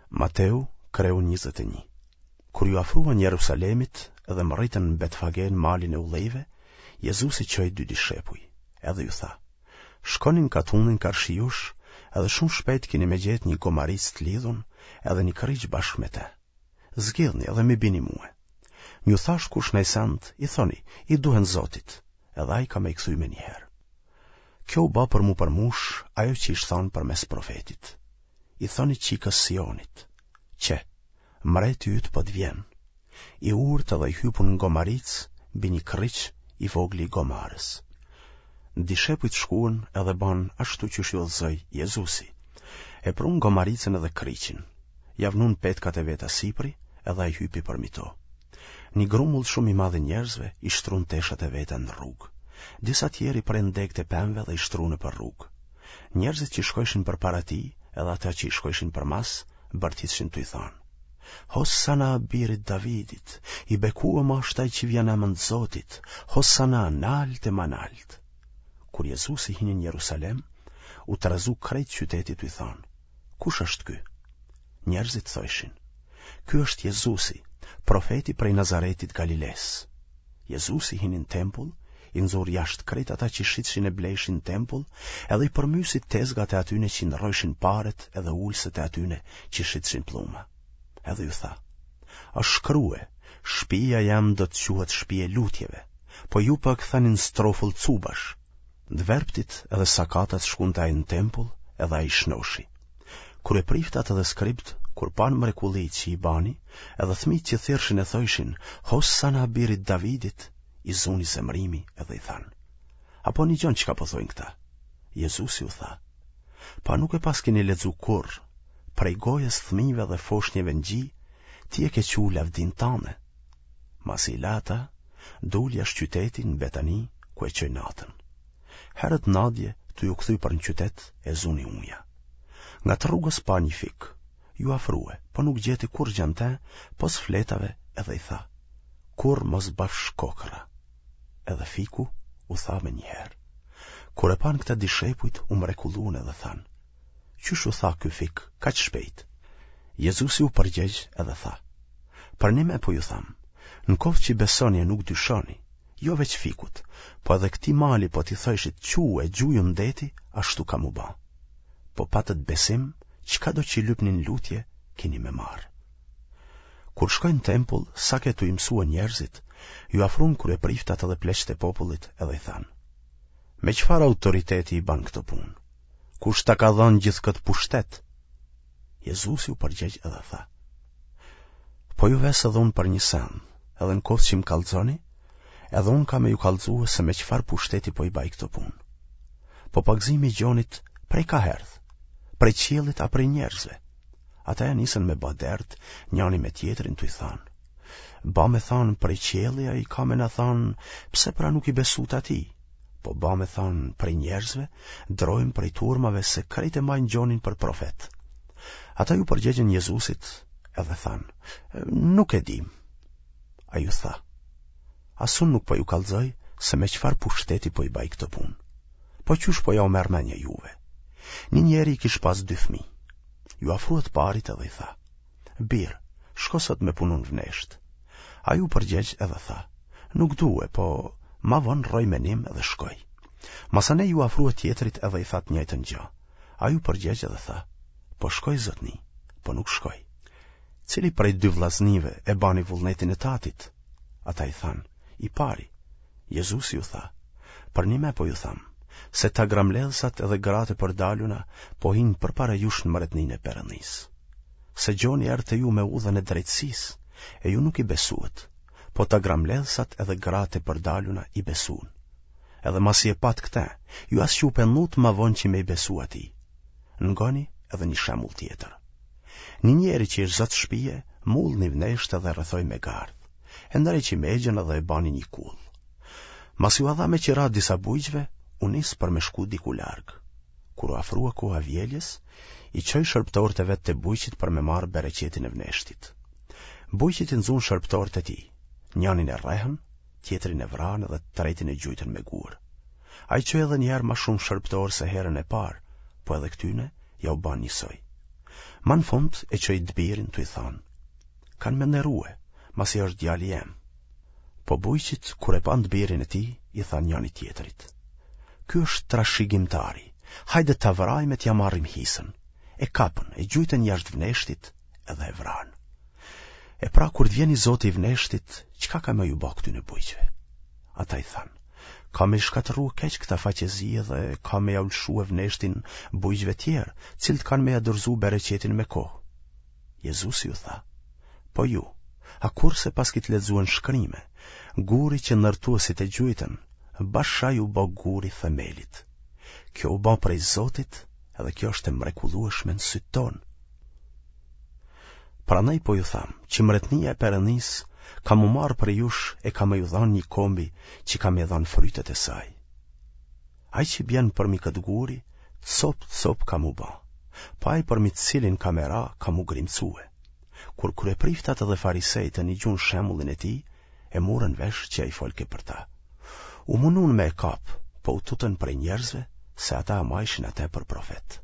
Mateu, kreu 21. Kur iu afruan Jerusalemit dhe mrritën në Betfage në malin e Ullijve, Jezusi çoi dy dishepuj, edhe ju tha: Shkoni në katunin karshi jush, edhe shumë shpejt kini me gjetë një gomaricë të lidhun edhe një krriq bashkë me te. Zgidhni edhe m'i bini mue. N'ju thashtë kush naj send, i thoni, i duhen Zotit, edhe ai ka me i kthy menjëherë. Kjo u ba për m'u përmush ajo që ish thanë përmes profetit. I thoni çikës Sionit, qe, mreti yt po të vjen, i urtë dhe i hypun në gomaricë mbi një krriq i vogli i gomarës. Dishepujt shkuan edhe banë ashtu qysh i udhëzoi Jezusi. E prunë gomaricën edhe krriqin, ia vnunë petkat e veta sipri edhe ai hypi përmi to. Një grumbull shumë i madh i njerëzve i shtrun teshat e veta në rrugë. Disa tjerë i prenë degët e pemëve dhe i shtrun nëpër rrugë. Njerëzit që shkojshin përpara tij edhe ata që i shkojshin përmas, bërtitshin tuj thanë. Hosana birit Davidit, i bekuem asht ai që vjen n'emën të Zotit, Hosana nalt e ma nalt. Kur Jezusi hini në Jerusalem, u trazu krejt qyteti tuj thanë, kush është ky? Njerëzit thojshin, ky është Jezusi, profeti prej Nazaretit Galilesë. Jezusi hini në tempull, i nxuri jashtë krejt ata që shitshin e blejshin në tempull, edhe i përmysi tezgat e atyne që ndrrojshin paret edhe ulëset e atyne që shitshin plluma. Edhe ju tha, është shkrue, shpia jem do të quhet shpi e lutjeve, po ju po e ktheni në strofull cubash. Të verbtit edhe sakatat shkun te ai në tempull edhe ai i shnoshi. Kryepriftat edhe skribët, kur panë mrekullitë që i bani, edhe fëmijët që thirrshin e thojshin, Hosana birit Davidit, i zuni zemrimi edhe i thanë. A po nigjon çka po thojnë këta? Jezusi u tha, Po a nuk e paskeni lexu kurrë, prej gojës fëmijëve dhe foshnjeve në gji, ti e ke çu lavdinë tane. Masi i la ata, dul jashtë qytetit në Betani, ku e çoi natën. Herët nadje, tuj u kthy për në qytet, e zuni uja. Ngat rrugës pa një fik, iu afrue, po nuk gjeti kurrgjë në te, pos fletave edhe i tha, kurrë mos bafsh kokrra. Edhe fiku u tha menjëherë. Kur e panë këtë dishepujt, u mrekullun edhe thanë, qysh u tha ky fik, kaq shpejt? Jezusi u përgjegj edhe tha, përnime po ju tham, në koftë që besoni e nuk dyshoni, jo veç fikut, po edhe këtij mali po t'i thojshit çu e gjuju në deti, ashtu ka m'u ba. Po patët besim, çkado që lypni në lutje, kini me marrë. Kur shkoi në tempull, sa ke tuj mësue njerëzit, iu afrun kryepriftat edhe pleqtë e popullit edhe i thanë. Me çfarë autoriteti i ban këto punë? Kush ta ka dhënë gjithë këtë pushtet? Jezusi u përgjegj edhe tha. Po ju ves edhe unë për një sen, edhe në koftë që më kallxoni, edhe unë kam me ju kallxue se me çfarë pushteti po i baj këto punë. Po pagëzimi i Gjonit prej ka erdh, prej qiellit a prej njerëzve. Ata ja nisën me ba dert, njani me tjetrin tuj thanë. Ba me thanë prej qielli, ai ka me na thanë, pse pra nuk i besut atij? Po ba me thanë prej njerëzve, drojmë prej turmave se krejt e majnë Gjonin për profet. Ata iu përgjegjën Jezusit edhe thanë, nuk e dim. Ai u tha, as unë nuk po ju kallxoj se me çfarë pushteti po i baj këto punë. Po qysh po jau merr menja juve. Një njeri i kish pas dy fëmijë. Iu afrua të parit edhe i tha, bir, shko sot me punu në vneshtë. Ai u përgjegj edhe tha, nuk due, po ma vonë rroi menim edhe shkoi. Masanej iu afrua tjetrit edhe i tha të njëjtën gjë. Ai u përgjegj edhe tha, po shkoj zotni, po nuk shkoi. Cili prej dy vllaznive e bani vullnetin e tatit? Ata i thanë, i pari. Jezusi u tha, përnime po ju tham, se tagrambledhsat edhe gratë e përdaluna po hinë përpara jush në mretninë e Perëndisë. Se Gjoni erdh te ju me udhën e drejtësisë, e ju nuk i besuat, po tagrambledhsat edhe gratë e përdaluna i besuan. Edhe masi e patë këtë, ju as që u penduat ma vonë që me i besu atij. Ngoni edhe një shembull tjetër. Një njeri që ish zot shpije, mull një vneshtë edhe e rrethoi me gardh. E ndreqi megjën edhe e bani një kullë. Masi ua dha me qira disa bujqve, u nis për me shku diku larg. Kur u afrua koha e vjeljes, i çoi shërbëtorët e vet te bujqit për me marrë bereqetin e vneshtit. Bujqit i nxunë shërbëtorët e tij, njanin e rrehën, tjetrin e vranë dhe të tretin e gjujtën me gurë. Ai çoi edhe një herë ma shumë shërbëtorë se herën e parë, po edhe këtyne jau banë njësoj. Ma në fund e çoi të birin tuj thanë, kanë me nderue, masi është djali jem. Po bujqit, kur e panë të birin e tij, i thanë njani tjetrit. Ky është trashigimtari, hajde ta vrajmë e t'ia marrim hisën. E kapën, e gjujtën jashtë vneshtit edhe e vranë. E pra kur të vjen i zoti i vneshtit, çka ka me ju ba këtyne bujqve? Ata i thanë, ka me i shkatërru keq këta faqezi dhe ka me jau lëshue vneshtin bujqve tjerë, cilët kanë me ja dorëzu bereqetin me kohë. Jezusi ju tha, po ju, a kurrë s'e paskit lexue në shkrime, guri që ndërtuesit e gjujtën, bash ai u bë guri i themelit. Kjo u bë prej Zotit edhe kjo është e mrekullueshme në sytë tonë. Prandaj po ju tham, që mretnia e Perëndisë ka m'u marrë prej jush e ka me ju dhanë një kombi që ka me dhanë frytet e saj. Ai që bjen përmi këtë guri, copë copë ka m'u ba, po ai përmi të cilin ka me ra, ka m'u grimcue. Kur kryepriftat edhe farisejtë e nigjun shembullin e tij, e murën vesh që ai folke për ta. U munun me e kapë, po u tutën prej njerëzve, se ata e majshin atë për profet.